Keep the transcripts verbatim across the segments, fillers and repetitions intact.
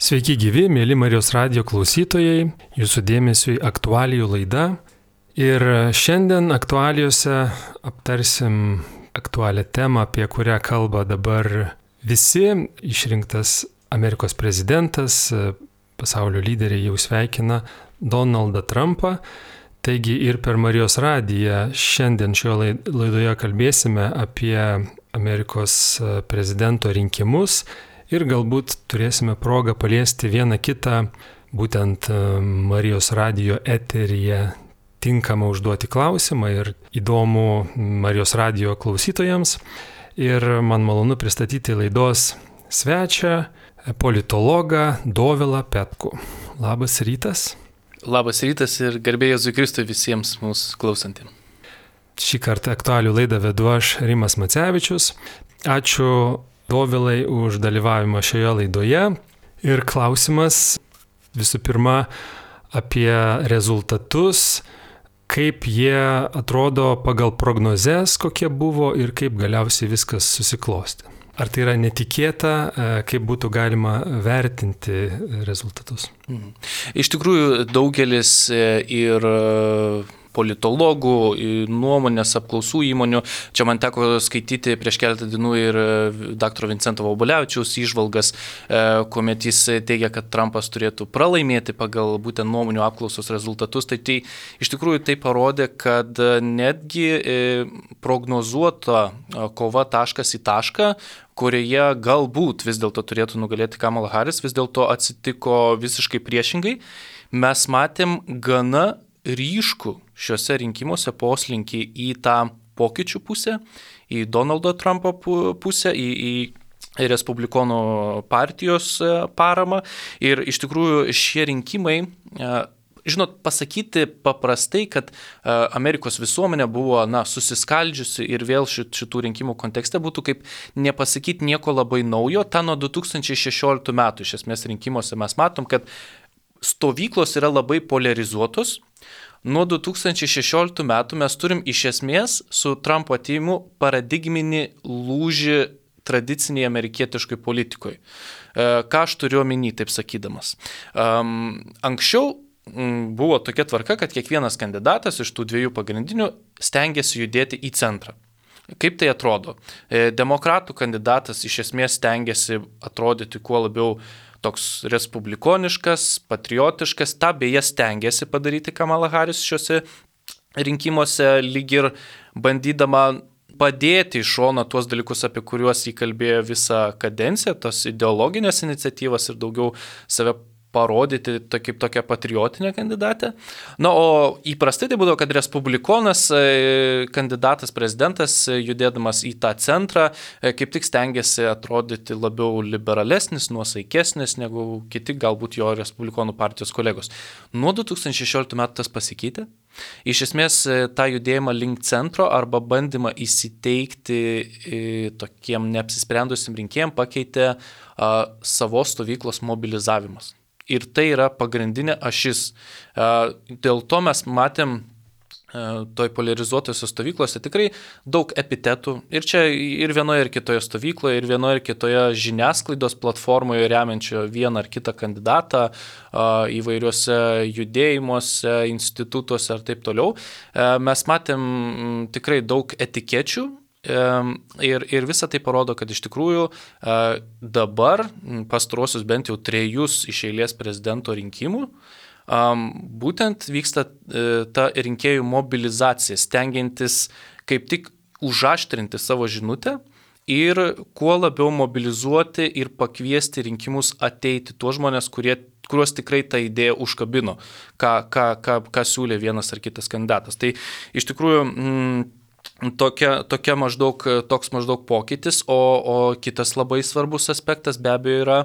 Sveiki gyvi, mėly Marijos radijo klausytojai, jūsų dėmesiui aktualijų laida. Ir šiandien aktualijose aptarsim aktualią temą, apie kurią kalba dabar visi. Išrinktas Amerikos prezidentas, pasaulio lyderiai jau sveikina Donaldą Trumpą. Taigi ir per Marijos radiją šiandien šioje laidoje kalbėsime apie Amerikos prezidento rinkimus. Ir galbūt turėsime progą paliesti vieną kitą, būtent Marijos radijo eteryje tinkamą užduoti klausimą ir įdomų Marijos radijo klausytojams. Ir man malonu pristatyti laidos svečią, politologą Dovilą Petkų. Labas rytas. Labas rytas ir garbė Jėzui Kristui visiems mūsų klausantiems. Šį kartą aktualių laidą vedu aš, Rimas Macevičius. Ačiū Dovilai už dalyvavimą šioje laidoje. Ir klausimas visų pirma apie rezultatus, kaip jie atrodo pagal prognozes, kokie buvo ir kaip galiausiai viskas susiklosti. Ar tai yra netikėta, kaip būtų galima vertinti rezultatus? Mhm. Iš tikrųjų, daugelis ir politologų, nuomonės apklausų įmonių. Čia man teko skaityti prieš keletą dienų ir daktaro Vincento Vobolevičiaus įžvalgas, kuomet jis teigia, kad Trumpas turėtų pralaimėti pagal būtent nuomonių apklausos rezultatus. Tai, tai iš tikrųjų tai parodė, kad netgi prognozuota kova taškas į tašką, kurioje galbūt vis dėlto turėtų nugalėti Kamala Harris, vis dėlto atsitiko visiškai priešingai. Mes matėm gana ryškų šiuose rinkimuose poslinkį į tą pokyčių pusę, į Donaldo Trumpo pusę, į, į Respublikonų partijos paramą. Ir iš tikrųjų šie rinkimai, žinot, pasakyti paprastai, kad Amerikos visuomenė buvo na, susiskaldžiusi ir vėl šit, šitų rinkimų kontekste būtų kaip nepasakyti nieko labai naujo. Ta nuo du tūkstančiai šešioliktų metų iš esmės rinkimuose mes matom, kad stovyklos yra labai polarizuotos. Nuo du tūkstančiai šešioliktų metų mes turim iš esmės su Trumpo atėjimu paradigminį lūžį tradiciniai amerikietiškai politikoje. Ką aš turiu omeny, taip sakydamas. Anksčiau buvo tokia tvarka, kad kiekvienas kandidatas iš tų dviejų pagrindinių stengiasi judėti į centrą. Kaip tai atrodo? Demokratų kandidatas iš esmės stengiasi atrodyti kuo labiau toks respublikoniškas, patriotiškas, tą beje stengiasi padaryti Kamala Harris šiuose rinkimuose, lyg ir bandydama padėti iš šono tuos dalykus, apie kuriuos jį kalbėjo visą kadenciją, tos ideologinės iniciatyvas ir daugiau save parodyti to, kaip tokią patriotinę kandidatę. Na, o įprastai tai būdavo, kad respublikonas kandidatas, prezidentas, judėdamas į tą centrą, kaip tik stengiasi atrodyti labiau liberalesnis, nuosaikesnis negu kiti galbūt jo respublikonų partijos kolegos. Nuo du tūkstančiai šešioliktų metų tas pasikeitė. Iš esmės tą judėjimą link centro arba bandymą įsiteikti tokiem neapsisprendusim rinkėjim pakeitė a, savos stovyklos mobilizavimas. Ir tai yra pagrindinė ašis. Dėl to mes matėm toj polarizuotose stovyklose tikrai daug epitetų. Ir čia ir vienoje ir kitoje stovykloje, ir vienoje ir kitoje žiniasklaidos platformoje remiančio vieną ar kitą kandidatą įvairiuose judėjimuose, institutuose ir taip toliau. Mes matėm tikrai daug etikečių. Ir, ir visa tai parodo, kad iš tikrųjų dabar pastaruosius bent jau trejus iš eilės prezidento rinkimų būtent vyksta ta rinkėjų mobilizacija, stengiantis kaip tik užaštrinti savo žinutę ir kuo labiau mobilizuoti ir pakviesti rinkimus ateiti tuos žmonės, kurie kuriuos tikrai ta idėja užkabino, ką, ką, ką, ką siūlė vienas ar kitas kandidatas. Tai iš tikrųjų mm, Tokia, tokia maždaug, toks maždaug pokytis, o, o kitas labai svarbus aspektas be abejo yra,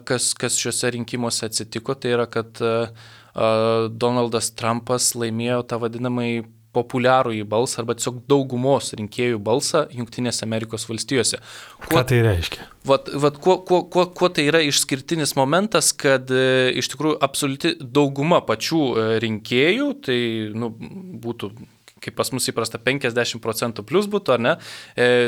kas, kas šiuose rinkimuose atsitiko, tai yra, kad Donaldas Trumpas laimėjo tą vadinamąjį populiarųjį balsą arba tiesiog daugumos rinkėjų balsą Jungtinėse Amerikos valstijose. Kuo, Ką tai reiškia? Vat, vat, kuo, kuo, kuo, kuo tai yra išskirtinis momentas, kad e, iš tikrųjų absoliuti dauguma pačių e, rinkėjų, tai nu, būtų kaip pas mus įprasta, penkiasdešimt procentų plus būtų, ar ne,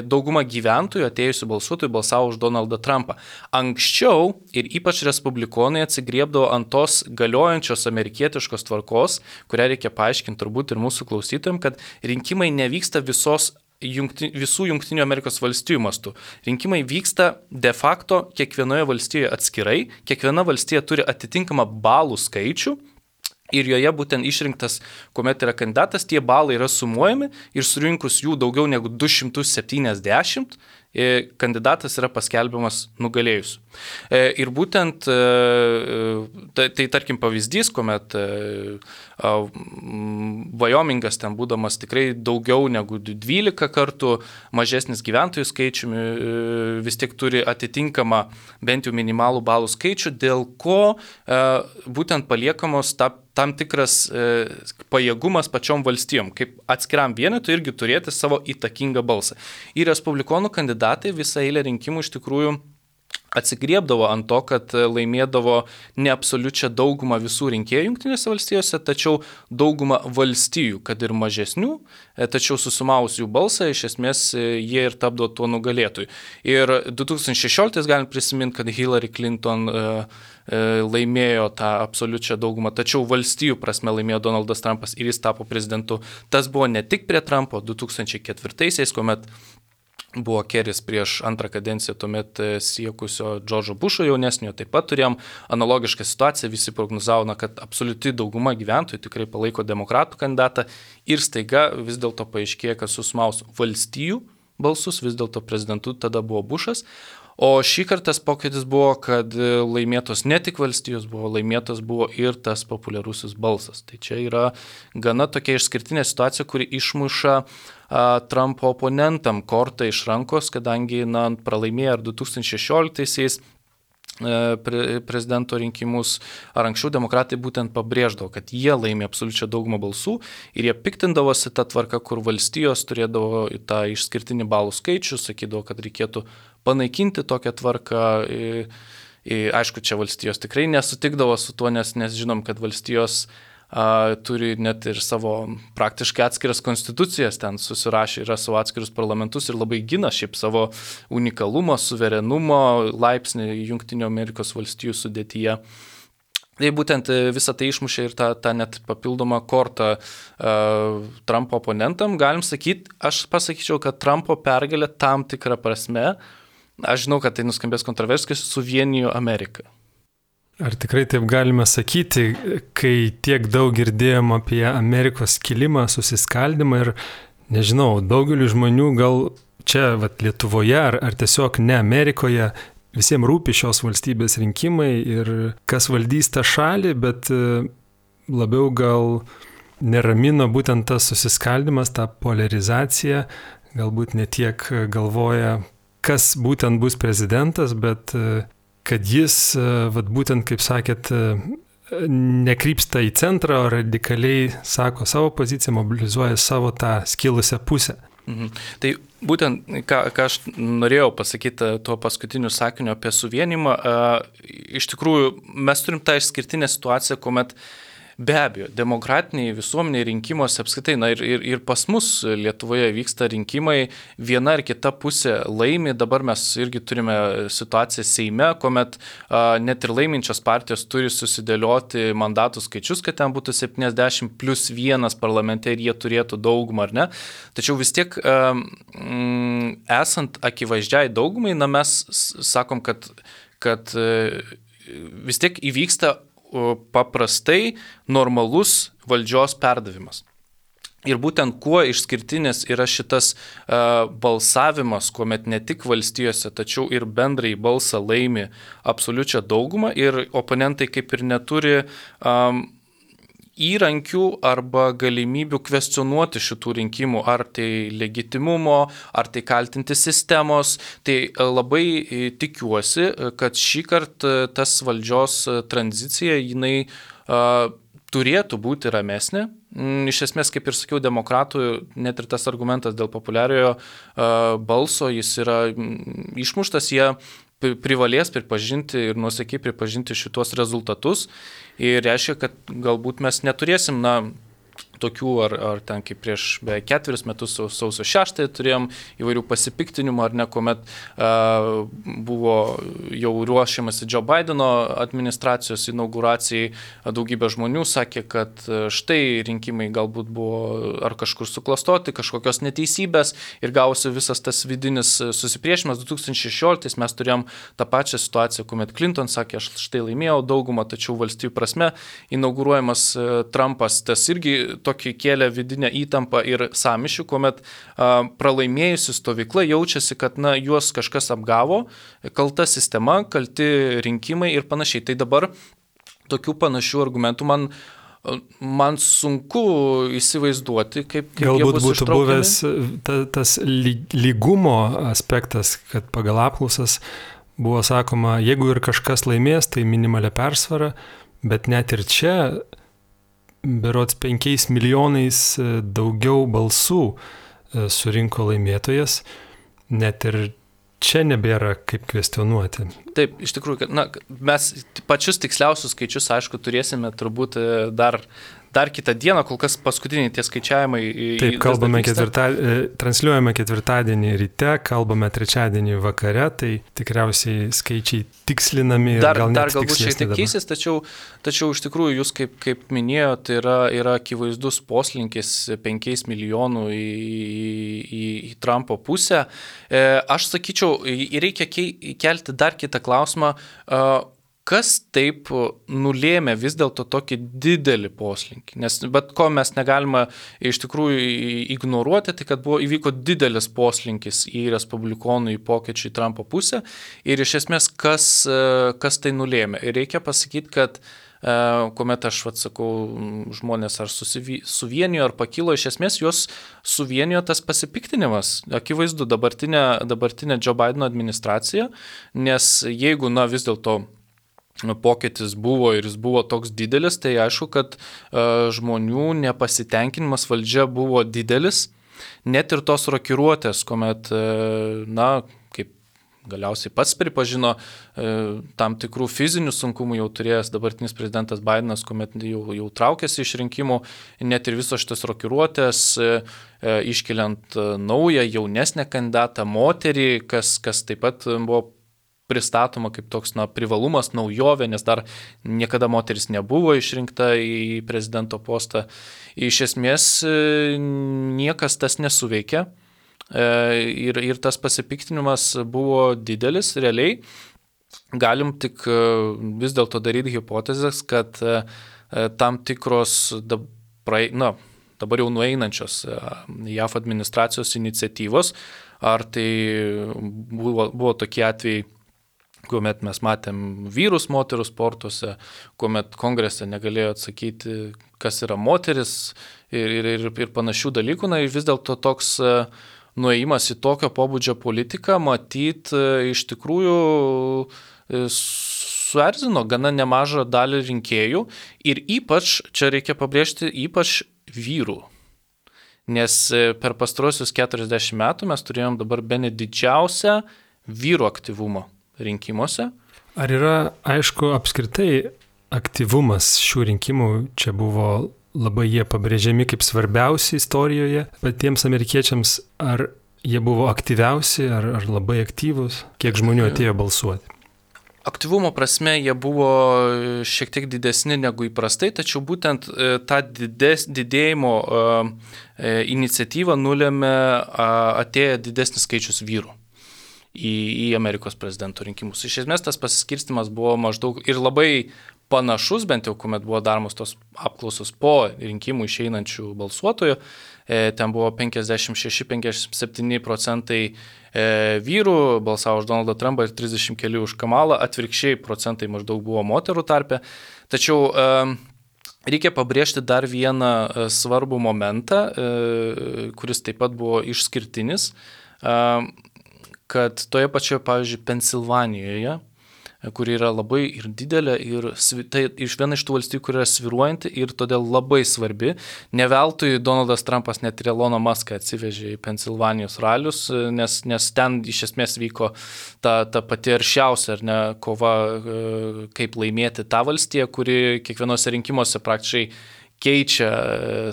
dauguma gyventojų atėjusių balsuotojų balsavo už Donaldą Trumpą. Anksčiau ir ypač respublikonai atsigriebdavo ant tos galiojančios amerikietiškos tvarkos, kurią reikia paaiškinti turbūt ir mūsų klausytojams, kad rinkimai nevyksta visos Jungti, visų Junktinių Amerikos valstijų mastų. Rinkimai vyksta de facto kiekvienoje valstijoje atskirai, kiekviena valstija turi atitinkamą balų skaičių ir joje būtent išrinktas, kuomet yra kandidatas, tie balai yra sumuojami ir surinkus jų daugiau negu du šimtus septyniasdešimt, kandidatas yra paskelbiamas nugalėjusiu. Ir būtent, tai, tai tarkim pavyzdys, kuomet Vajomingas ten būdamas tikrai daugiau negu dvylika kartų mažesnis gyventojų skaičiumi, vis tiek turi atitinkamą bent jau minimalų balų skaičių, dėl ko būtent paliekamos ta, tam tikras e, pajėgumas pačiom valstijom, kaip atskiram vienetui irgi turėti savo įtakingą balsą. Ir respublikonų kandidatai visą eilę rinkimų iš tikrųjų atsigriebdavo ant to, kad laimėdavo ne absoliučią daugumą visų rinkėjų Jungtinėse valstijose, tačiau daugumą valstijų, kad ir mažesnių, tačiau susumavus jų balsą, iš esmės jie ir tapdavo tuo nugalėtojui. Ir du tūkstančiai šešioliktais galim prisiminti, kad Hillary Clinton laimėjo tą absoliučią daugumą, tačiau valstijų prasme laimėjo Donaldas Trumpas ir jis tapo prezidentu. Tas buvo ne tik prie Trumpo du tūkstančiai ketvirtaisiais, kuomet buvo Keris prieš antrą kadenciją tuomet siekusio Džordžo Bušo jaunesnio, taip pat turėjom analogišką situaciją, visi prognozavo, kad absoliuti dauguma gyventojų tikrai palaiko demokratų kandidatą ir staiga vis dėlto paaiškėjo, kad susmaus valstijų balsus, vis dėlto prezidentu tada buvo Bušas. O šį kartą tas pokytis buvo, kad laimėtos ne tik valstijos buvo, laimėtas buvo ir tas populiarusis balsas. Tai čia yra gana tokia išskirtinė situacija, kuri išmuša a, Trumpo oponentam kortą iš rankos, kadangi na, pralaimėjo ar du tūkstančiai šešioliktaisiais pre, prezidento rinkimus, ar anksčiau demokratai būtent pabrėždavo, kad jie laimė absoliučią daugumą balsų ir jie piktindavosi tą tvarką, kur valstijos turėdavo tą išskirtinį balų skaičių, sakydavo, kad reikėtų panaikinti tokią tvarką. I, I, aišku, čia valstijos tikrai nesutikdavo su tuo, nes, nes žinom, kad valstijos a, turi net ir savo praktiškai atskiras konstitucijas, ten susirašė, yra savo atskirus parlamentus ir labai gina šiaip savo unikalumą, suverenumo laipsnį Jungtinių Amerikos valstijų sudėtyje. Tai būtent visą tai išmušė ir tą, tą net papildomą kortą uh, Trumpo oponentam. Galim sakyti, aš pasakyčiau, kad Trumpo pergalė tam tikrą prasme, aš žinau, kad tai nuskambės kontroversiškai, suvienijo Ameriką. Ar tikrai taip galime sakyti, kai tiek daug girdėjom apie Amerikos kilimą, susiskaldimą ir, nežinau, daugeliu žmonių gal čia vat, Lietuvoje ar, ar tiesiog ne Amerikoje, visiems rūpi šios valstybės rinkimai ir kas valdys tą šalį, bet labiau gal neramino būtent tas susiskaldimas, ta polarizacija, galbūt ne tiek galvoja, kas būtent bus prezidentas, bet kad jis, vat, būtent, kaip sakėt, nekrypsta į centrą, o radikaliai sako savo poziciją, mobilizuoja savo tą skilusią pusę. Mhm. Tai būtent, ką, ką aš norėjau pasakyti tuo paskutiniu sakiniu apie suvienimą, iš tikrųjų mes turim tą išskirtinę situaciją, kuomet be abejo, demokratiniai visuomeniai rinkimuose apskritai, na ir, ir, ir pas mus Lietuvoje vyksta rinkimai, viena ar kita pusė laimi, dabar mes irgi turime situaciją Seime, kuomet a, net ir laiminčios partijos turi susidėlioti mandatų skaičius, kad ten būtų septyniasdešimt plus vienas parlamente ir jie turėtų daugumą, ar ne. Tačiau vis tiek a, m, esant akivaizdžiai daugumai, na mes sakom, kad, kad a, vis tiek įvyksta paprastai normalus valdžios perdavimas. Ir būtent kuo išskirtinis yra šitas uh, balsavimas, kuomet ne tik valstijose, tačiau ir bendrai balsą laimi absoliučią daugumą ir oponentai kaip ir neturi um, įrankių arba galimybių kvestionuoti šitų rinkimų, ar tai legitimumo, ar tai kaltinti sistemos. Tai labai tikiuosi, kad šį kartą tas valdžios tranzicija, jinai uh, turėtų būti ramesnė. Iš esmės, kaip ir sakiau, demokratų, net ir tas argumentas dėl populiariojo uh, balso, jis yra išmuštas, jie privalės pripažinti ir nuosekiai pripažinti šitos rezultatus ir reiškia, kad galbūt mes neturėsim, na, tokių, ar, ar ten kaip prieš beveik ketveris metus sausio šeštąją turėjom įvairių pasipiktinimų, ar ne, kuomet uh, buvo jau ruošiamasi Joe Bideno administracijos inauguracijai, daugybė žmonių sakė, kad štai rinkimai galbūt buvo ar kažkur suklastoti, kažkokios neteisybės ir gausi visas tas vidinis susipriešimas. du tūkstančiai šešioliktais mes turėjom tą pačią situaciją, kuomet Clinton sakė, aš štai laimėjau daugumą, tačiau valstybių prasme inauguruojamas Trumpas, tas irgi tokį kėlė vidinę įtampą ir sąmyšių, kuomet a, pralaimėjusi stovykla jaučiasi, kad na, juos kažkas apgavo, kalta sistema, kalti rinkimai ir panašiai. Tai dabar tokių panašių argumentų man, man sunku įsivaizduoti, kaip, kaip galbūt jie bus būtų ištraukiami. buvęs ta, tas lygumo aspektas, kad pagal apklausas buvo sakoma, jeigu ir kažkas laimės, tai minimalia persvara, bet net ir čia berods penkiais milijonais daugiau balsų surinko laimėtojas, net ir čia nebėra kaip kvestionuoti. Taip, iš tikrųjų, kad, na, mes pačius tiksliausius skaičius, aišku, turėsime turbūt dar, dar kitą dieną, kol kas paskutiniai tie skaičiavimai. Taip, kalbame ketvirtą, transliuojame ketvirtadienį ryte, kalbame trečiadienį vakare, tai tikriausiai skaičiai tikslinami ir dar, gal net dar galbūt šiek tiek keisis, tačiau, tačiau iš tikrųjų jūs, kaip, kaip minėjote, yra, yra akivaizdus poslinkis penkiais milijonų į, į, į Trumpo pusę. E, aš sakyčiau, reikia kelti dar kitą klausimą, kas taip nulėmė vis dėlto tokį didelį poslinkį. Nes bet ko mes negalime iš tikrųjų ignoruoti, tai kad buvo įvyko didelis poslinkis į respublikonų, į pokyčių į Trumpo pusę ir iš esmės kas, kas tai nulėmė. Ir reikia pasakyti, kad kuomet aš atsakau, žmonės ar susivy, suvienijo ar pakilo, iš esmės juos suvienijo tas pasipiktinimas. Akivaizdu, dabartinė, dabartinė Joe Bideno administracija, nes jeigu, na, vis dėlto pokytis buvo ir jis buvo toks didelis, tai aišku, kad uh, žmonių nepasitenkinimas valdžia buvo didelis, net ir tos rokiruotės, kuomet, uh, na, kaip galiausiai pats pripažino, uh, tam tikrų fizinių sunkumų jau turėjęs dabartinis prezidentas Bidenas, kuomet jau, jau traukėsi iš rinkimų, net ir visos šitas rokiruotės, uh, iškeliant uh, naują, jaunesnę kandidatą, moterį, kas, kas taip pat buvo pristatoma kaip toks, na, privalumas, naujovė, nes dar niekada moteris nebuvo išrinkta į prezidento postą. Iš esmės niekas tas nesuveikė ir, ir tas pasipiktinimas buvo didelis, realiai. Galim tik vis dėlto daryti hipotezės, kad tam tikros, na, dabar jau nueinančios J A V administracijos iniciatyvos, ar tai buvo, buvo tokie atvejai, kuomet mes matėm vyrus moterų sportuose, kuomet kongrese negalėjo atsakyti, kas yra moteris ir, ir, ir, ir panašių dalykų. Na, vis dėlto toks nuėjimas į tokio pobūdžio politiką, matyt, iš tikrųjų suerzino gana nemažą dalį rinkėjų ir ypač, čia reikia pabrėžti, ypač vyrų. Nes per pastarosius keturiasdešimt metų mes turėjom dabar bene didžiausią vyrų aktyvumą rinkimuose. Ar yra, aišku, apskritai aktyvumas šių rinkimų, čia buvo labai jie pabrėžiami kaip svarbiausi istorijoje, bet tiems amerikiečiams, ar jie buvo aktyviausi, ar, ar labai aktyvus, kiek žmonių atėjo balsuoti? Aktyvumo prasme jie buvo šiek tiek didesni negu įprastai, tačiau būtent tą dides, didėjimo uh, iniciatyvą nulėmė uh, atėję didesnis skaičius vyrų į, į Amerikos prezidento rinkimus. Iš esmės tas pasiskirstimas buvo maždaug ir labai panašus, bent jau kuomet buvo daromos tos apklausos po rinkimų išeinančių balsuotojų. E, ten buvo penkiasdešimt šeši penkiasdešimt septyni procentai e, vyrų balsavo už Donaldą Trumpą ir trisdešimt keli už Kamalą, atvirkščiai procentai maždaug buvo moterų tarpe. Tačiau e, reikia pabrėžti dar vieną e, svarbų momentą, e, kuris taip pat buvo išskirtinis, e, kad toje pačioje, pavyzdžiui, Pensilvanijoje, kuri yra labai ir didelė, ir tai iš viena iš tų valstybių, kuri yra svyruojanti ir todėl labai svarbi. Ne veltui Donaldas Trumpas net ir Eloną Muską atsivežė į Pensilvanijos ralius, nes, nes ten iš esmės vyko ta, ta pati aršiausia, ar ne, kova, kaip laimėti tą valstiją, kuri kiekvienose rinkimuose praktiškai keičia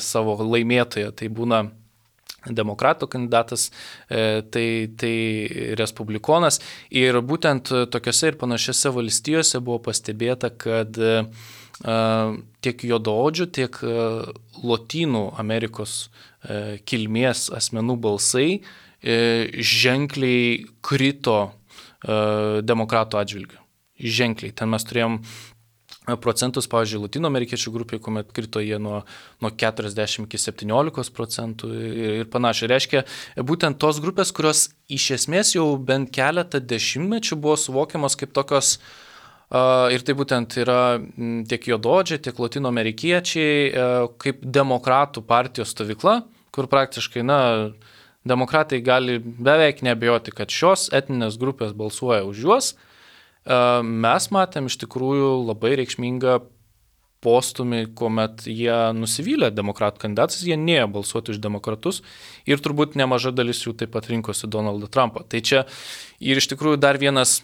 savo laimėtoją. Tai būna demokratų kandidatas, tai, tai respublikonas. Ir būtent tokiose ir panašiose valstijose buvo pastebėta, kad tiek juodaodžių, tiek Lotynų Amerikos kilmės asmenų balsai ženkliai krito demokratų atžvilgiu. Ženkliai. Ten mes turėjom procentus, pavyzdžiui, Lotynų amerikiečių grupė, kuomet krito jie nuo, nuo keturiasdešimt iki septyniolikos procentų ir, ir panašiai. Reiškia, būtent tos grupės, kurios iš esmės jau bent keletą dešimtmečių buvo suvokiamos kaip tokios, uh, ir tai būtent yra tiek juodaodžiai, tiek Lotynų amerikiečiai, uh, kaip demokratų partijos stovykla, kur praktiškai, na, demokratai gali beveik neabejoti, kad šios etninės grupės balsuoja už juos. Mes matėm iš tikrųjų labai reikšmingą postumį, kuomet jie nusivylė demokratų kandidatus, jie nėjo balsuoti už demokratus ir turbūt nemaža dalis jų taip pat rinkosi Donaldą Trumpą. Tai čia ir iš tikrųjų dar vienas,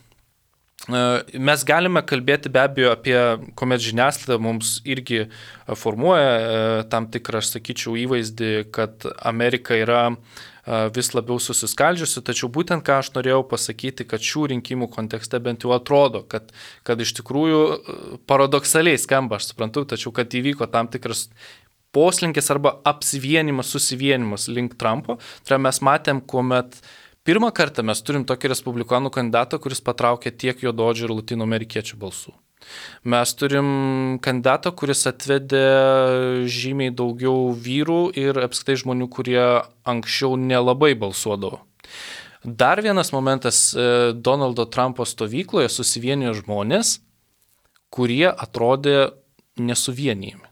mes galime kalbėti be abejo apie, kuomet žiniasklaida mums irgi formuoja tam tikrą, aš sakyčiau, įvaizdį, kad Amerika yra vis labiau susiskaldžiusi, tačiau būtent ką aš norėjau pasakyti, kad šių rinkimų kontekste bent jau atrodo, kad, kad iš tikrųjų paradoksaliai skamba, aš suprantu, tačiau kad įvyko tam tikras poslinkis arba apsivienimas, susivienimas link Trumpo. Tai mes matėm, kuomet pirmą kartą mes turim tokį respublikonų kandidatą, kuris patraukė tiek juodaodžių ir Lotynų amerikiečių balsų. Mes turim kandidatą, kuris atvedė žymiai daugiau vyrų ir apskritai žmonių, kurie anksčiau nelabai balsuodavo. Dar vienas momentas, Donaldo Trumpo stovykloje susivienijo žmonės, kurie atrodė nesuvienijami.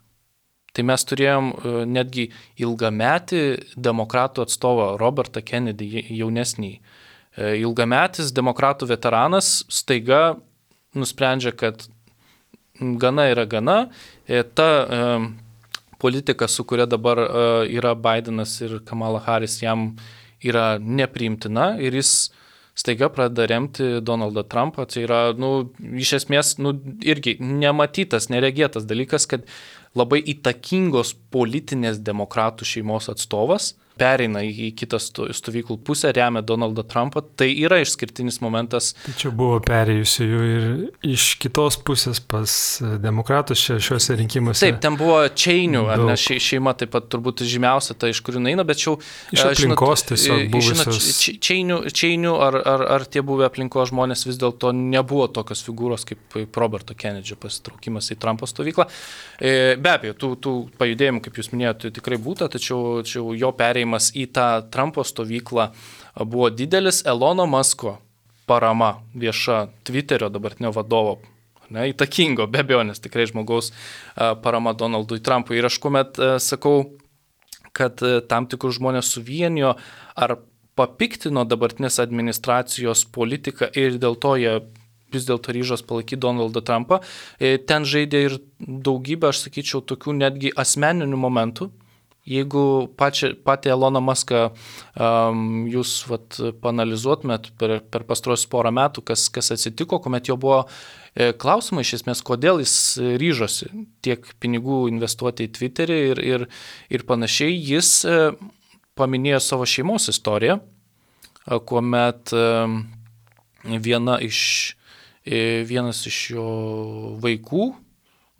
Tai mes turėjom netgi ilgametį demokratų atstovą Robertą Kennedy, jaunesnį. Ilgametis demokratų veteranas staiga nusprendžia, kad gana yra gana. Ta e, politika, su kuria dabar e, yra Bidenas ir Kamala Harris, jam yra nepriimtina ir jis staiga pradeda remti Donaldą Trumpą. Tai yra, nu, iš esmės, nu, irgi nematytas, neregėtas dalykas, kad labai įtakingos politinės demokratų šeimos atstovas pereina į kitą stovyklų pusę, remia Donaldą Trumpą, tai yra išskirtinis momentas. Tačiau buvo perėjusių ir iš kitos pusės pas demokratus čia šiuose rinkimuose. Taip, ten buvo Čeinių, ar ne, šeima taip pat turbūt žymiausia, ta iš kurių eina, bet čia iš aplinkos žinot, tiesiog buvusios. Žinot, Čeinių, Čeinių ar, ar, ar tie buvę aplinkos žmonės vis dėlto nebuvo tokios figūros kaip Roberto Kennedy pasitraukimas į Trumpo stovyklą. Be abejo, tų, tų pajudėjimų, kaip jūs minėjote, tikrai būta, tačiau, tačiau jo perėjimas į tą Trumpo stovyklą buvo didelis. Elono Musko parama vieša Twitterio dabartinio vadovo, ne, įtakingo, be abejo, nes tikrai žmogaus parama Donaldui Trumpui. Ir aš kuomet sakau, kad tam tikrus žmonės suvienijo ar papiktino dabartinės administracijos politiką ir dėl to jie vis dėlto ryžos palaikyti Donaldą Trumpą, ten žaidė ir daugybę, aš sakyčiau, tokių netgi asmeninių momentų. Jeigu pačią, patį Eloną Muską um, jūs vat, panalizuotumėt per, per pastaruosius porą metų, kas, kas atsitiko, kuomet jo buvo e, klausimai iš esmės, kodėl jis ryžosi tiek pinigų investuoti į Twitterį ir, ir, ir panašiai, jis e, paminėjo savo šeimos istoriją, e, kuomet e, viena iš, e, vienas iš jo vaikų,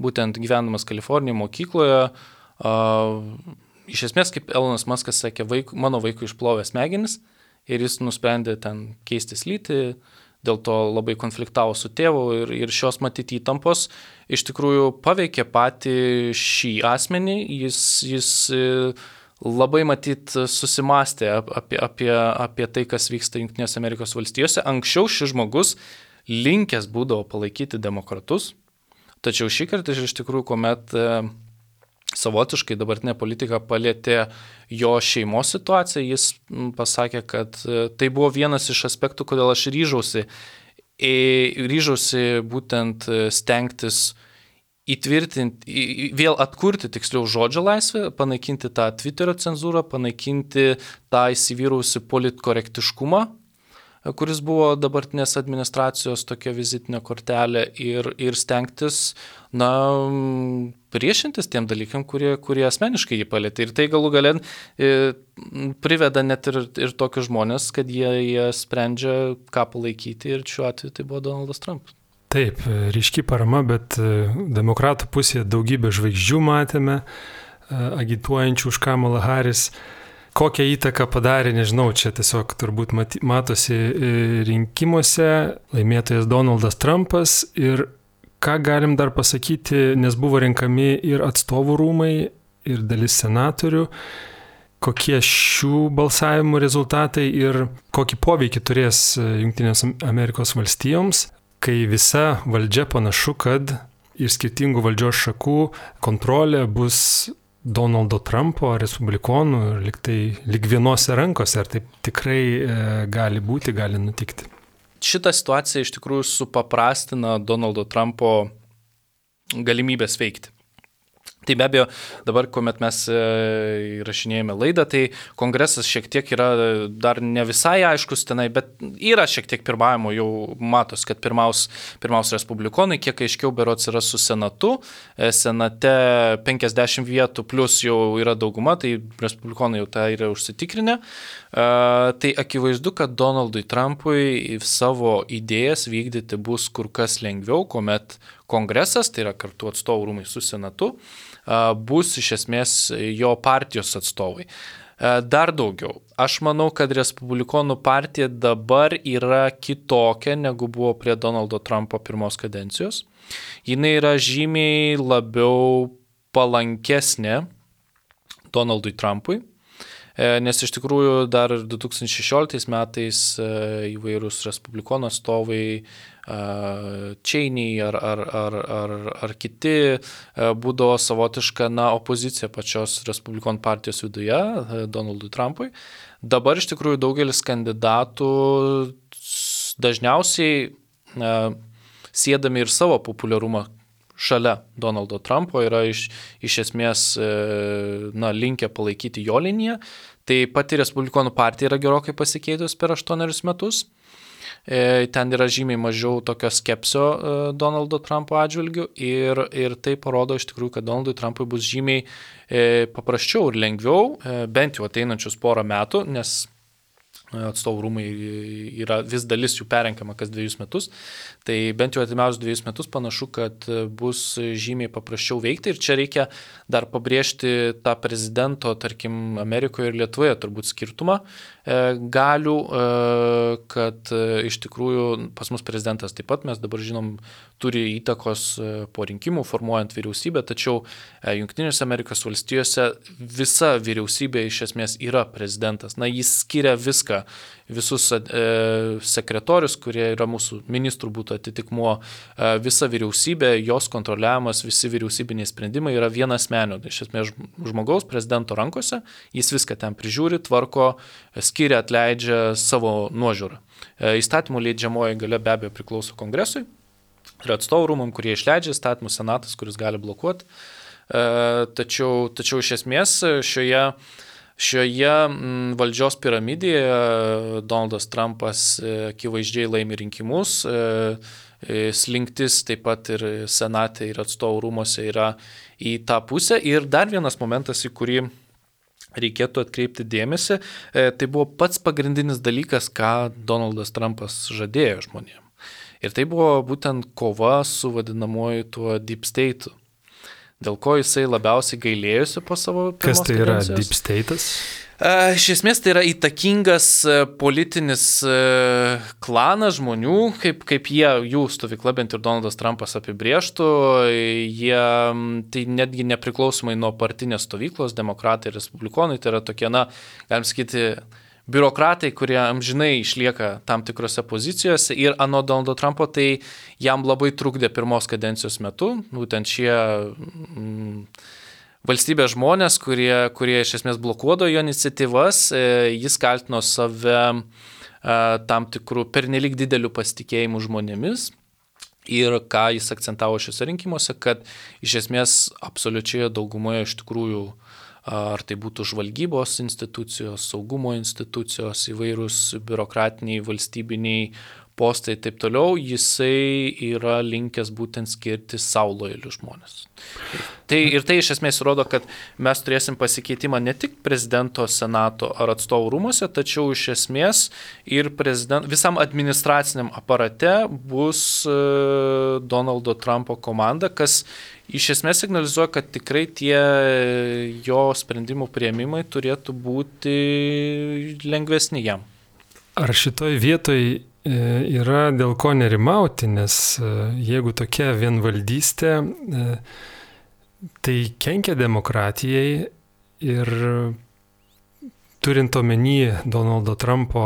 būtent gyvenamas Kalifornijoje mokykloje, e, iš esmės, kaip Elonas Muskas sakė, vaik, mano vaikui išplovė smegenis ir jis nusprendė ten keistis lytį, dėl to labai konfliktavo su tėvu ir, ir šios matyti įtampos iš tikrųjų paveikė patį šį asmenį, jis, jis labai matyt susimastė apie, apie, apie tai, kas vyksta Jungtinėse Amerikos valstijose. Anksčiau šis žmogus linkęs būdavo palaikyti demokratus, tačiau šį kartą iš tikrųjų, kuomet savotiškai dabartinė politika palėtė jo šeimos situaciją, jis pasakė, kad tai buvo vienas iš aspektų, kodėl aš ryžausi, ryžausi būtent stengtis įtvirtinti, vėl atkurti tiksliau žodžio laisvę, panaikinti tą Twitterio cenzūrą, panaikinti tą įsivyrausi politkorektiškumą, kuris buvo dabartinės administracijos tokia vizitinė kortelė ir, ir stengtis, na, priešintis tiem dalykam, kurie, kurie asmeniškai jį palėtė. Ir tai galų gale e, priveda net ir, ir tokius žmonės, kad jie, jie sprendžia, ką palaikyti, ir šiuo atveju tai buvo Donaldas Trumpas. Taip, ryški parama, bet demokratų pusėje daugybę žvaigždžių matėme, agituojančių už Kamalą Harris. Kokią įtaką padarė, nežinau, čia tiesiog turbūt matosi rinkimuose laimėtojas Donaldas Trumpas ir ką galim dar pasakyti, nes buvo renkami ir atstovų rūmai, ir dalis senatorių, kokie šių balsavimų rezultatai ir kokį poveikį turės Jungtinės Amerikos valstijoms, kai visa valdžia panašu, kad iš skirtingų valdžios šakų kontrolė bus Donaldo Trumpo, respublikonų, lyg tai lyg vienose rankose, ar taip tikrai e, gali būti, gali nutikti. Šitą situaciją iš tikrųjų supaprastina Donaldo Trumpo galimybės veikti. Tai be abejo, dabar, kuomet mes įrašinėjame laidą, tai kongresas šiek tiek yra dar ne visai aiškus tenai, bet yra šiek tiek pirmavimo, jau matos, kad pirmaus, pirmaus respublikonai, kiek aiškiau berods yra su senatu, senate penkiasdešimt vietų plus jau yra dauguma, tai respublikonai jau tą yra užsitikrinę. Tai akivaizdu, kad Donaldui Trumpui savo idėjas vykdyti bus kur kas lengviau, kuomet kongresas, tai yra kartu atstovų rūmai su senatu, bus iš esmės jo partijos atstovai. Dar daugiau. Aš manau, kad respublikonų partija dabar yra kitokia, negu buvo prie Donaldo Trumpo pirmos kadencijos. Jinai yra žymiai labiau palankesnė Donaldui Trumpui, nes iš tikrųjų dar du tūkstančiai šešioliktais metais įvairūs respublikonų atstovai Cheney ar, ar, ar, ar, ar kiti būdavo savotiška na, opozicija pačios respublikonų partijos viduje Donaldui Trumpui. Dabar iš tikrųjų daugelis kandidatų dažniausiai siedami ir savo populiarumą šalia Donaldo Trumpo yra iš, iš esmės na, linkę palaikyti jo liniją. Tai pati respublikonų partija yra gerokai pasikeitus per aštuonerius metus. Ten yra žymiai mažiau tokio skepsio Donaldo Trumpo atžvilgių ir, ir tai parodo iš tikrųjų, kad Donaldui Trumpui bus žymiai paprasčiau ir lengviau, bent jau ateinančius porą metų, nes atstovų rūmai yra vis dalis jų perrenkama kas dviejus metus, tai bent jau atimiausius dviejus metus panašu, kad bus žymiai paprasčiau veikti ir čia reikia dar pabrėžti tą prezidento, tarkim, Amerikoje ir Lietuvoje turbūt skirtumą galių, kad iš tikrųjų pas mus prezidentas taip pat, mes dabar žinom, turi įtakos po rinkimų formuojant vyriausybę, tačiau Jungtinėse Amerikos valstijose visa vyriausybė iš esmės yra prezidentas. Na, jis skiria viską, visus e, sekretorius, kurie yra mūsų ministrų būtų atitikmuo, e, visa vyriausybė, jos kontroliavimas, visi vyriausybiniai sprendimai yra vienasmenio. Iš esmės žmogaus prezidento rankose, jis viską ten prižiūri, tvarko, skiria, atleidžia savo nuožiūrą. E, įstatymų leidžiamoji galia be abejo priklauso kongresui ir atstovų rūmam, kurie išleidžia įstatymų, senatas, kuris gali blokuoti. E, tačiau, tačiau iš esmės šioje Šioje valdžios piramidėje Donaldas Trumpas akivaizdžiai laimi rinkimus, slinktis taip pat ir senate ir atstovų rūmose yra į tą pusę. Ir dar vienas momentas, į kurį reikėtų atkreipti dėmesį, tai buvo pats pagrindinis dalykas, ką Donaldas Trumpas žadėjo žmonėms. Ir tai buvo būtent kova su vadinamuoju tuo deep state'u. Dėl ko jisai labiausiai gailėjusi po savo pirmos kadencijos. Kas tai yra deep state'as? Iš esmės tai yra įtakingas politinis klanas žmonių, kaip, kaip jie, jų stovykla, bent ir Donaldas Trumpas apibrėžtų, jie tai netgi nepriklausomai nuo partinės stovyklos, demokratai ir respublikonai, tai yra tokie, na, galim sakyti, biurokratai, kurie amžinai išlieka tam tikrose pozicijose ir anot Donaldo Trumpo tai jam labai trukdė pirmos kadencijos metu, būtent šie mm, valstybės žmonės, kurie, kurie iš esmės blokuodo jo iniciatyvas, jis kaltino save tam tikrų pernelyg didelių pasitikėjimų žmonėmis. Ir ką jis akcentavo šiuose rinkimuose, kad iš esmės absoliučioje daugumoje iš tikrųjų ar tai būtų žvalgybos institucijos, saugumo institucijos, įvairūs biurokratiniai, valstybiniai postai ir taip toliau, jisai yra linkęs būtent skirti savo lojalius žmonės. Tai, ir tai iš esmės rodo, kad mes turėsim pasikeitimą ne tik prezidento, senato ar atstovų rūmose, tačiau iš esmės ir visam administraciniam aparate bus uh, Donaldo Trumpo komanda, kas iš esmės signalizuoja, kad tikrai tie jo sprendimų priėmimai turėtų būti lengvesni jam. Ar šitoj vietoj yra dėl ko nerimauti, nes jeigu tokia vienvaldystė, tai kenkia demokratijai ir turint omeny Donaldo Trumpo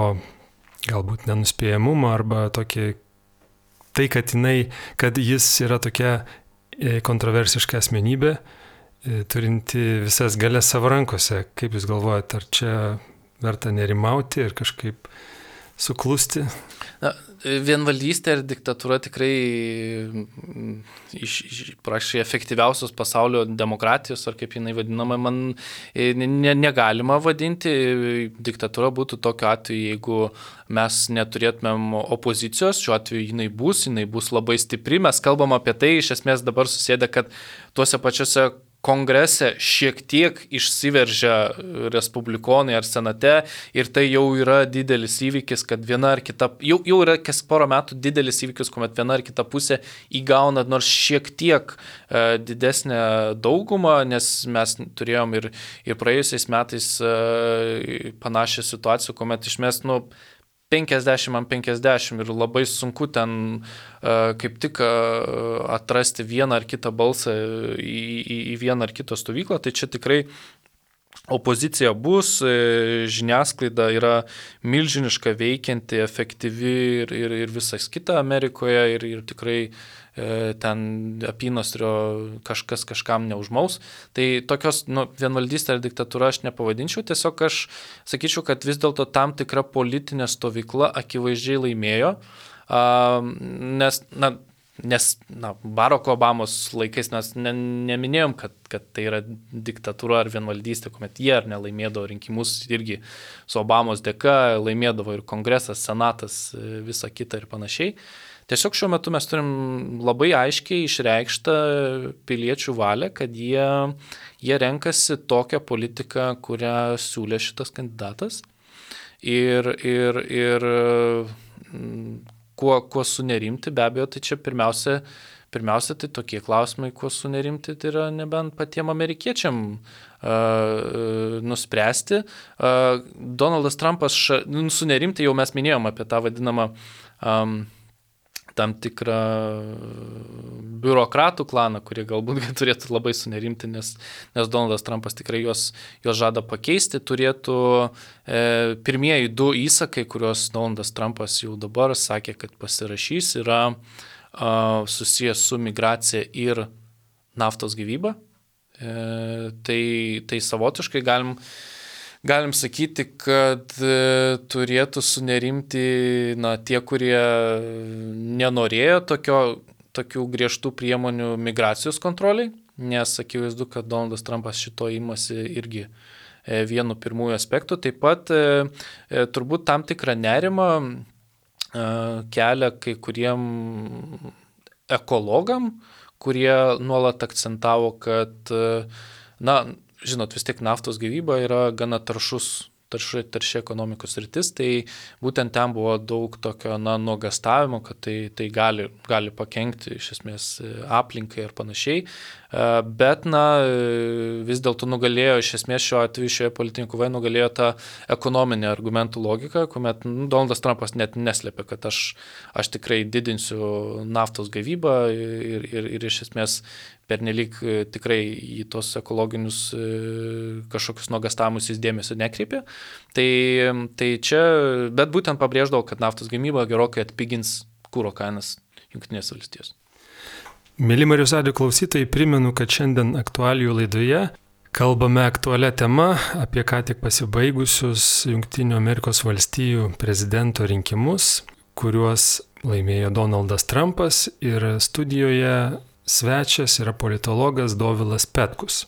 galbūt nenuspėjamumą arba tokį, tai, kad, jinai, kad jis yra tokia kontroversiška asmenybė, turinti visas galias savo rankose. Kaip Jūs galvojate, ar čia verta nerimauti ir kažkaip suklusti? Na, vienvaldystė ir diktatūra tikrai iš, iš prašai efektyviausios pasaulio demokratijos, ar kaip jinai vadinama, man ne, negalima vadinti. Diktatūra būtų tokiu atveju, jeigu mes neturėtumėm opozicijos, šiuo atveju jinai bus, jinai bus labai stipri. Mes kalbam apie tai, iš esmės dabar susėdę, kad tuose pačiuose kongrese šiek tiek išsiveržia respublikonai ar senate ir tai jau yra didelis įvykis, kad viena ar kita, jau, jau yra kas porą metų didelis įvykis, kuomet viena ar kita pusė įgauna nors šiek tiek e, didesnę daugumą, nes mes turėjom ir, ir praėjusiais metais e, panašią situaciją, kuomet išmės, nu, penkiasdešimt ant penkiasdešimt ir labai sunku ten uh, kaip tik uh, atrasti vieną ar kitą balsą į, į, į vieną ar kitą stovyklą, tai čia tikrai opozicija bus, žiniasklaida yra milžiniška, veikianti, efektyvi ir, ir, ir visas kita Amerikoje ir, ir tikrai e, ten apynasrio kažkas kažkam neužmaus. Tai tokios nu, vienvaldystė ar diktatūra aš nepavadinčiau, tiesiog aš sakyčiau, kad vis dėlto tam tikra politinė stovykla akivaizdžiai laimėjo, a, nes, na, Nes na, Baracko Obamos laikais mes ne, neminėjom, kad, kad tai yra diktatūra ar vienvaldystė, kuomet jie ar nelaimėdavo rinkimus irgi su Obamos dėka, laimėdavo ir kongresas, senatas, visa kita ir panašiai. Tiesiog šiuo metu mes turim labai aiškiai išreikštą piliečių valią, kad jie, jie renkasi tokią politiką, kurią siūlė šitas kandidatas. Ir, ir, ir Kuo, kuo sunerimti, be abejo, tai čia pirmiausia, pirmiausia tai tokie klausimai, kuo sunerimti, tai yra nebent patiem amerikiečiam uh, nuspręsti. Uh, Donaldas Trumpas, ša, nu, sunerimti jau mes minėjom apie tą vadinamą um, tam tikrą biurokratų klaną, kurie galbūt turėtų labai sunerimti, nes, nes Donaldas Trumpas tikrai juos, juos žada pakeisti. Turėtų e, pirmieji du įsakai, kuriuos Donaldas Trumpas jau dabar sakė, kad pasirašys, yra a, susijęs su migracija ir naftos gyvyba. E, tai, tai savotiškai galim Galim sakyti, kad e, turėtų sunerimti na, tie, kurie nenorėjo tokio, tokių griežtų priemonių migracijos kontroliai, nes akivaizdu, kad Donaldas Trumpas šito imasi irgi e, vienu pirmųjų aspektų. Taip pat e, e, turbūt tam tikrą nerimą e, kelia kai kuriem ekologam, kurie nuolat akcentavo, kad e, na, žinot, vis tiek naftos gyvyba yra gana taršus, tarši, tarši ekonomikos sritis, tai būtent ten buvo daug tokio na, nuogastavimo, kad tai, tai gali, gali pakenkti iš esmės aplinkai ir panašiai, bet na, vis dėlto nugalėjo iš esmės šiuo atveju šioje politinėje kovoje nugalėjo tą ekonominę argumentų logiką, kuomet nu, Donaldas Trumpas net neslėpė, kad aš, aš tikrai didinsiu naftos gavybą ir, ir, ir iš esmės pernelyg tikrai į tos ekologinius kažkokius nuogastavimus jis dėmesio nekreipė. Tai, tai čia, bet būtent pabrėždavo, kad naftos gamyba gerokai atpigins kuro kainas Jungtinės valstijos. Mėly Marijos radijo klausytojai, primenu, kad šiandien aktualijų laidoje kalbame aktualią temą apie ką tik pasibaigusius Jungtinių Amerikos valstijų prezidento rinkimus, kuriuos laimėjo Donaldas Trumpas ir studijoje svečias yra politologas Dovilas Petkus.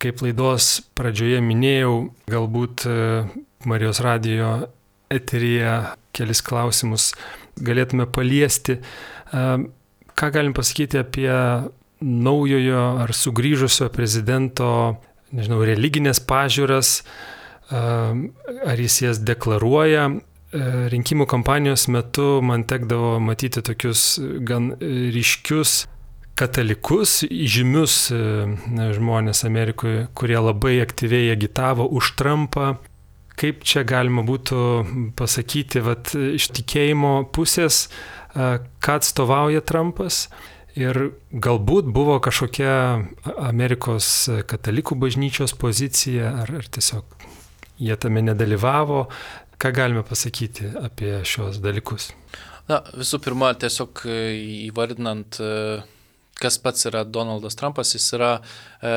kaip laidos pradžioje minėjau, galbūt Marijos radijo eteryje kelis klausimus galėtume paliesti. Ką galim pasakyti apie naujojo ar sugrįžusio prezidento, nežinau, religinės pažiūras, ar jis jas deklaruoja? Rinkimų kampanijos metu man tekdavo matyti tokius gan ryškius katalikus, žymius žmonės Amerikoje, kurie labai aktyviai agitavo už Trumpą. Kaip čia galima būtų pasakyti, vat, iš tikėjimo pusės, ką atstovauja Trumpas? Ir galbūt buvo kažkokia Amerikos katalikų bažnyčios pozicija, ar, ar tiesiog jie tame nedalyvavo. Ką galime pasakyti apie šios dalykus? Na, visų pirma, tiesiog įvardinant, kas pats yra Donaldas Trumpas, jis yra e,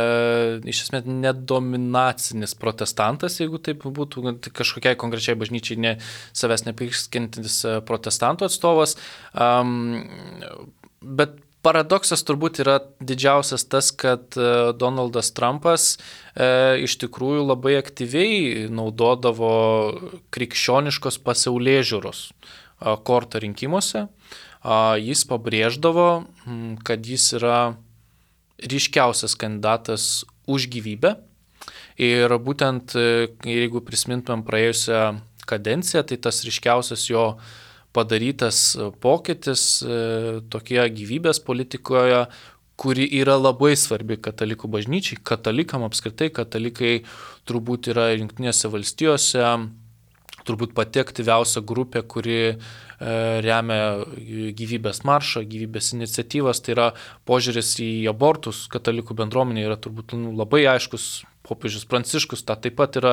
iš esmės nedominacinis protestantas, jeigu taip būtų, kažkokiai konkrečiai bažnyčiai ne, savęs nepriskiriantis protestantų atstovas. Um, bet paradoksas turbūt yra didžiausias tas, kad Donaldas Trumpas e, iš tikrųjų labai aktyviai naudodavo krikščioniškos pasaulėžiūros kortą rinkimuose. Jis pabrėždavo, kad jis yra ryškiausias kandidatas už gyvybę. Ir būtent, jeigu prisimintumėm praėjusią kadenciją, tai tas ryškiausias jo padarytas pokytis tokie gyvybės politikoje, kuri yra labai svarbi katalikų bažnyčiai, katalikam apskritai, katalikai turbūt yra Jungtinėse valstijose, turbūt pati aktyviausia grupė, kuri e, remia gyvybės maršą, gyvybės iniciatyvas, tai yra požiūris į abortus katalikų bendruomenė yra turbūt nu, labai aiškus. Popiežius Pranciškus tą taip pat yra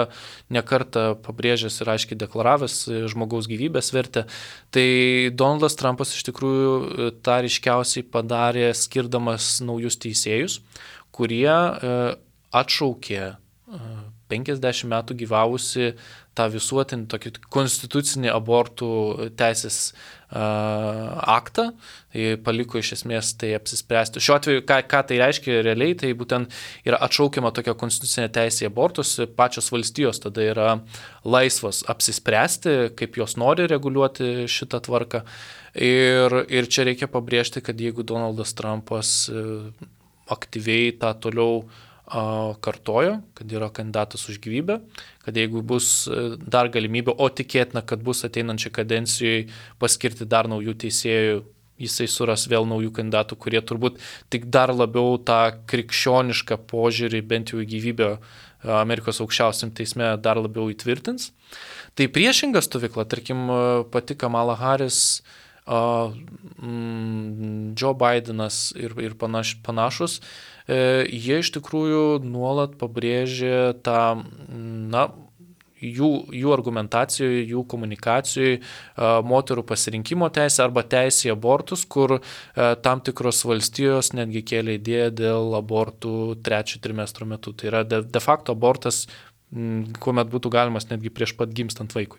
nekartą pabrėžęs ir aiškiai deklaravęs žmogaus gyvybės vertę. Tai Donaldas Trumpas iš tikrųjų tą ryškiausiai padarė skirdamas naujus teisėjus, kurie atšaukė penkiasdešimt metų gyvavusi tą visuotinį tokį konstitucinį abortų teisės uh, aktą, tai paliko iš esmės tai apsispręsti. Šiuo atveju, ką, ką tai reiškia realiai, tai būtent yra atšaukiama tokia konstitucinė teisė į abortus, pačios valstijos tada yra laisvos apsispręsti, kaip jos nori reguliuoti šitą tvarką. Ir, ir čia reikia pabrėžti, kad jeigu Donaldas Trumpas uh, aktyviai tą toliau kartojo, kad yra kandidatas už gyvybę, kad jeigu bus dar galimybė, o tikėtina, kad bus ateinančiai kadencijai paskirti dar naujų teisėjų, jisai suras vėl naujų kandidatų, kurie turbūt tik dar labiau tą krikščionišką požiūrį, bent jau į gyvybę Amerikos aukščiausiam teisme dar labiau įtvirtins. Tai priešinga stovykla, tarkim, pati Kamala Harris, Uh, mm, Joe Bidenas ir, ir panaš, panašus, e, jie iš tikrųjų nuolat pabrėžė tą, na, jų, jų argumentacijoje, jų komunikacijoje uh, moterų pasirinkimo teisę arba teisę į abortus, kur uh, tam tikros valstijos netgi kėlė idėją dėl abortų trečio trimestro metu. Tai yra de, de facto abortas, kuomet būtų galimas netgi prieš pat gimstant vaikui.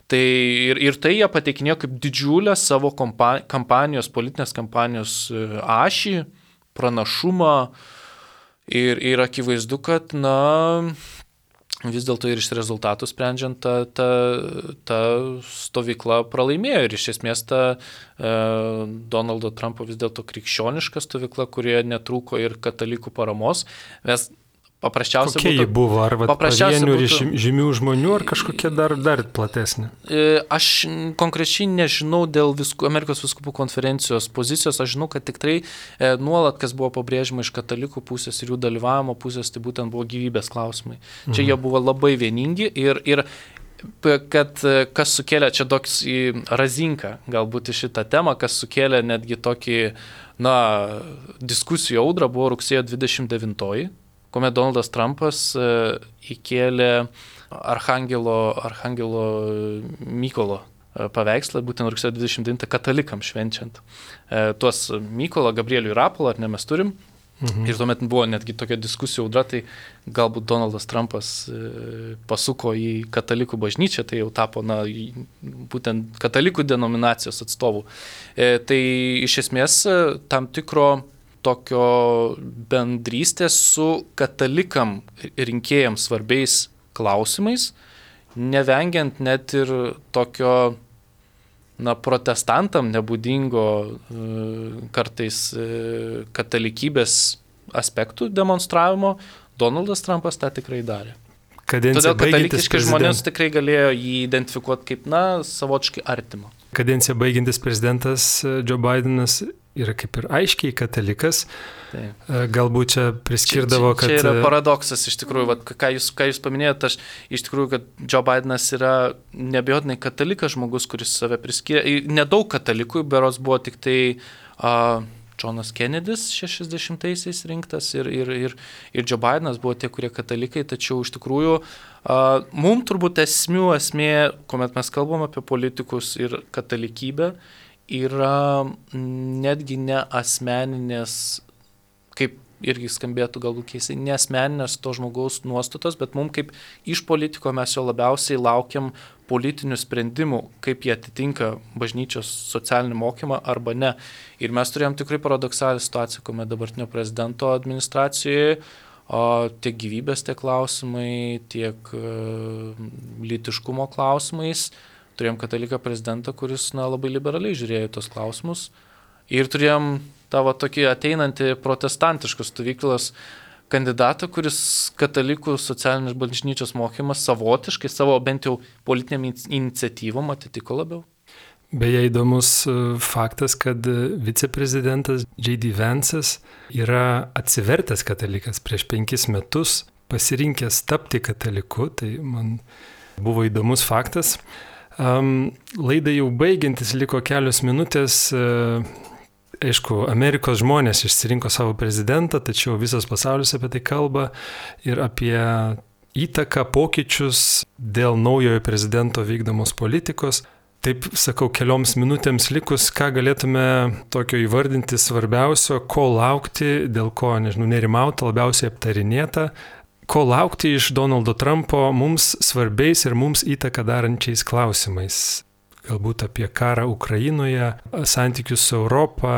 Tai ir, ir tai jie pateikinėjo kaip didžiulę savo kompa, kampanijos, politinės kampanijos ašį, pranašumą ir, ir akivaizdu, kad, na, vis dėlto ir iš rezultatų sprendžiant, ta, ta, ta stovykla pralaimėjo ir iš esmės ta e, Donaldo Trumpo vis dėlto krikščioniška stovykla, kurioje netrūko ir katalikų paramos. Mes paprasčiausiai kokia būtų, ji buvo? Ar pavienių būtų, žymių žmonių, ar kažkokia dar, dar platesnė? Aš konkrečiai nežinau dėl visku, Amerikos vyskupų konferencijos pozicijos, aš žinau, kad tikrai e, nuolat, kas buvo pabrėžima iš katalikų pusės ir jų dalyvavimo pusės, tai būtent buvo gyvybės klausimai. Mhm. Čia jie buvo labai vieningi ir, ir kad kas sukėlė, čia toks į razinką galbūt į šitą temą, kas sukėlė netgi tokį, na, diskusijų audrą, buvo rugsėjo dvidešimt devintoji, kuomet Donaldas Trumpas įkėlė Archangelo, Archangelo Mykolo paveikslą, būtent rugsėjo dvidešimt devintą katalikam švenčiant. Tuos Mykolą, Gabrielių ir Rapolą, ar ne mes turim? Mhm. Ir tuomet buvo netgi tokia diskusijų audra, tai galbūt Donaldas Trumpas pasuko į katalikų bažnyčią, tai jau tapo, na, būtent katalikų denominacijos atstovų. Tai iš esmės tam tikro tokio bendrystės su katalikam rinkėjams svarbiais klausimais, nevengiant net ir tokio, na, protestantam nebūdingo kartais katalikybės aspektų demonstravimo. Donaldas Trumpas tą tikrai darė. Kadencija Todėl katalikiški žmonės prezident... tikrai galėjo jį identifikuoti kaip, na, savotiškai artimą. Kadenciją baigiantis prezidentas Joe Bidenas yra kaip ir aiškiai katalikas. Taip. Galbūt čia priskirdavo, čia, čia, čia kad... Čia yra paradoksas iš tikrųjų, vat, ką, jūs, ką jūs paminėjote, aš iš tikrųjų, kad Joe Bidenas yra neabejotinai katalikas žmogus, kuris save priskiria. Nedaug katalikų, berods buvo tik tai... Uh, Johnas Kennedys šešiasdešimtaisiais rinktas ir, ir, ir, ir Joe Bidenas buvo tie, kurie katalikai, tačiau iš tikrųjų uh, mums turbūt esmių esmė, kuomet mes kalbam apie politikus ir katalikybę, yra netgi ne asmeninės, kaip irgi skambėtų galbūt keistai, ne asmeninės to žmogaus nuostatos, bet mums kaip iš politiko mes jo labiausiai laukiam politinių sprendimų, kaip jie atitinka bažnyčios socialinį mokymą arba ne. Ir mes turėjom tikrai paradoksalią situaciją, kuomet dabartinio prezidento administracijoje o, tiek gyvybės tie klausimai, tiek uh, lytiškumo klausimais turėjom kataliką prezidentą, kuris na, labai liberaliai žiūrėjo tos klausimus. Ir turėjom tavo tokį ateinantį protestantiškos stovyklos kandidatą, kuris katalikų socialinės bažnyčios mokymas savotiškai, savo bent jau politiniam iniciatyvom atitiko labiau. Beje, įdomus faktas, kad viceprezidentas J D Vance'as yra atsivertęs katalikas prieš penkis metus, pasirinkęs tapti kataliku, tai man buvo įdomus faktas. Um, laidai jau baigiantis liko kelios minutės. Uh, Aišku, Amerikos žmonės išsirinko savo prezidentą, tačiau visas pasaulis apie tai kalba ir apie įtaką, pokyčius dėl naujojo prezidento vykdomos politikos. Taip, sakau, kelioms minutėms likus, ką galėtume tokio įvardinti svarbiausio, ko laukti, dėl ko, nežinau, nerimauta, labiausiai aptarinėta, ko laukti iš Donaldo Trumpo mums svarbiais ir mums įtaką darančiais klausimais. Galbūt apie karą Ukrainoje, santykius su Europą,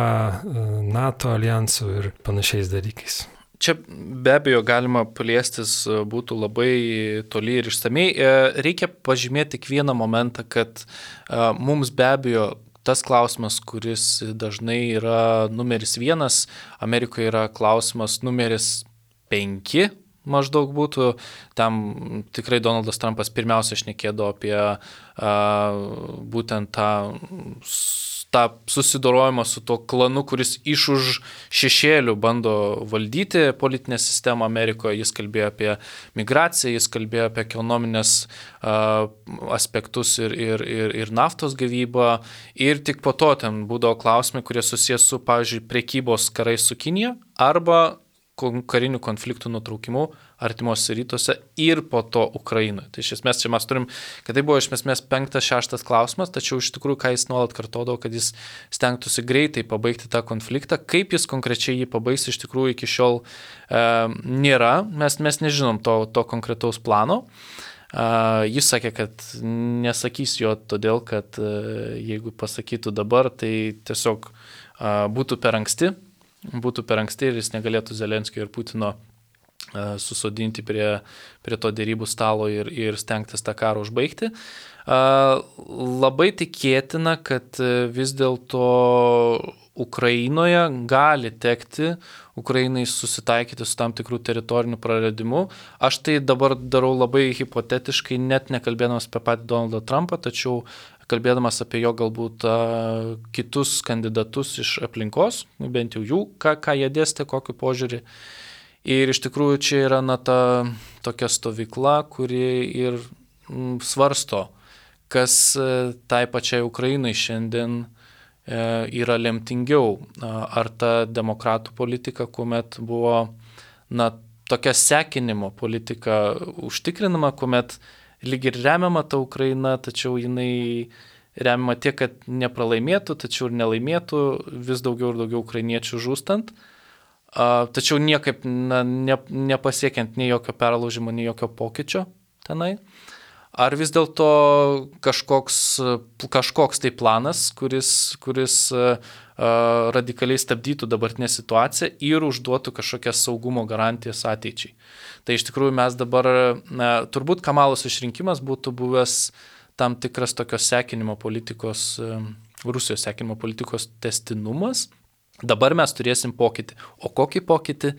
NATO alijansu ir panašiais dalykais. Čia be abejo galima paliestis būtų labai toli ir išsamei. Reikia pažymėti tik vieną momentą, kad mums be abejo tas klausimas, kuris dažnai yra numeris vienas, Amerikoje yra klausimas numeris penki. Maždaug būtų, tam tikrai Donaldas Trumpas pirmiausia šnekėdavo apie a, būtent tą, tą susidorojimą su to klanu, kuris iš už šešėlių bando valdyti politinę sistemą Amerikoje. Jis kalbėjo apie migraciją, jis kalbėjo apie ekonominės a, aspektus ir, ir, ir, ir naftos gavybą. Ir tik po to ten būdavo klausimai, kurie susijęs su, pavyzdžiui, prekybos karais su Kinija arba karinių konfliktų nutraukimu artimuose rytuose ir po to Ukrainoje. Tai iš esmės čia mes turim, kad tai buvo iš esmės penktas, šeštas klausimas, tačiau iš tikrųjų, ką jis nuolat kartodavo, kad jis stengtųsi greitai pabaigti tą konfliktą. Kaip jis konkrečiai jį pabaigs, iš tikrųjų iki šiol e, nėra. Mes, mes nežinom to, to konkretaus plano. Uh, jis sakė, kad nesakys jo todėl, kad uh, jeigu pasakytų dabar, tai tiesiog uh, būtų per anksti. būtų per anksti ir jis negalėtų Zelenskio ir Putino uh, susodinti prie, prie to dėrybų stalo ir, ir stengtis tą karą užbaigti. Uh, labai tikėtina, kad vis dėlto Ukrainoje gali tekti Ukrainai susitaikyti su tam tikrų teritorinių praradimu. Aš tai dabar darau labai hipotetiškai, net nekalbėdamas apie patį Donaldą Trumpą, tačiau kalbėdamas apie jo galbūt a, kitus kandidatus iš aplinkos, bent jau jų, ką, ką jie dėstė, kokį požiūrį. Ir iš tikrųjų čia yra na, ta tokia stovykla, kuri ir m, svarsto, kas e, tai pačiai Ukrainai šiandien e, yra lemtingiau. Ar ta demokratų politika, kuomet buvo na, tokia sekinimo politika užtikrinama, kuomet lyg ir remiama ta Ukraina, tačiau jinai remiama tiek, kad nepralaimėtų, tačiau ir nelaimėtų, vis daugiau ir daugiau ukrainiečių žūstant, tačiau niekaip na, ne, nepasiekiant nei jokio perlaužimo, nei jokio pokyčio tenai. ar vis dėlto kažkoks, kažkoks tai planas, kuris, kuris radikaliai stabdytų dabartinę situaciją ir užduotų kažkokias saugumo garantijas ateičiai. Tai iš tikrųjų mes dabar, na, turbūt Kamalos išrinkimas būtų buvęs tam tikras tokios sekinimo politikos, Rusijos sekinimo politikos tęstinumas. Dabar mes turėsim pokytį. O kokį pokytį,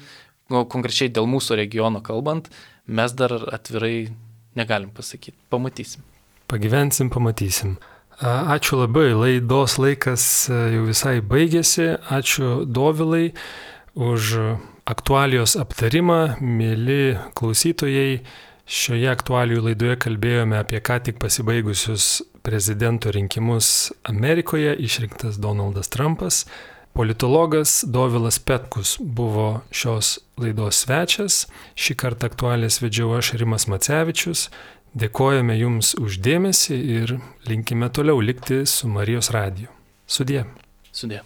nu, konkrečiai dėl mūsų regiono kalbant, mes dar atvirai negalim pasakyti. Pamatysim. Pagyvensim, pamatysim. Ačiū labai, laidos laikas jau visai baigėsi. Ačiū Dovilai už aktualijos aptarimą. Mėly klausytojai, šioje aktualijų laidoje kalbėjome apie ką tik pasibaigusius prezidento rinkimus Amerikoje, išrinktas Donaldas Trumpas. Politologas Dovilas Petkus buvo šios laidos svečias. Šį kartą aktualijas vedžiau aš, Rimas Macevičius. Dėkojame Jums už dėmesį ir linkime toliau likti su Marijos radiju. Sudie. Sudie.